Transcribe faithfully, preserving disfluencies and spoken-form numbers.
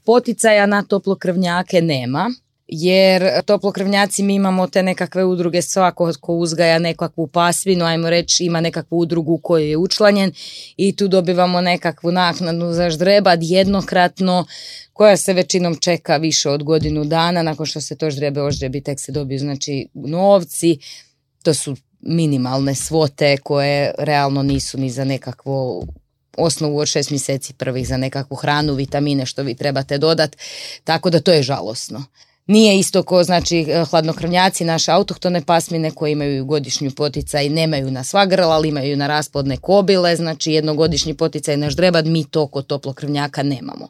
Poticaja na toplokrvnjake nema, jer toplokrvnjaci mi imamo te nekakve udruge, svako ko uzgaja nekakvu pasminu, ajmo reći ima nekakvu udrugu u kojoj je učlanjen i tu dobivamo nekakvu naknadu za ždrebad jednokratno koja se većinom čeka više od godinu dana, nakon što se to ždrebe oždrebi tek se dobiju znači novci, to su minimalne svote koje realno nisu ni za nekakvo osnovu od šest mjeseci prvih za nekakvu hranu, vitamine što vi trebate dodati, tako da to je žalosno. Nije isto ko znači hladnokrvnjaci, naše autohtone pasmine koje imaju godišnju poticaj, nemaju na sva grla, ali imaju na rasplodne kobile, znači jednogodišnji poticaj na ždrebad, mi to kod toplokrvnjaka nemamo.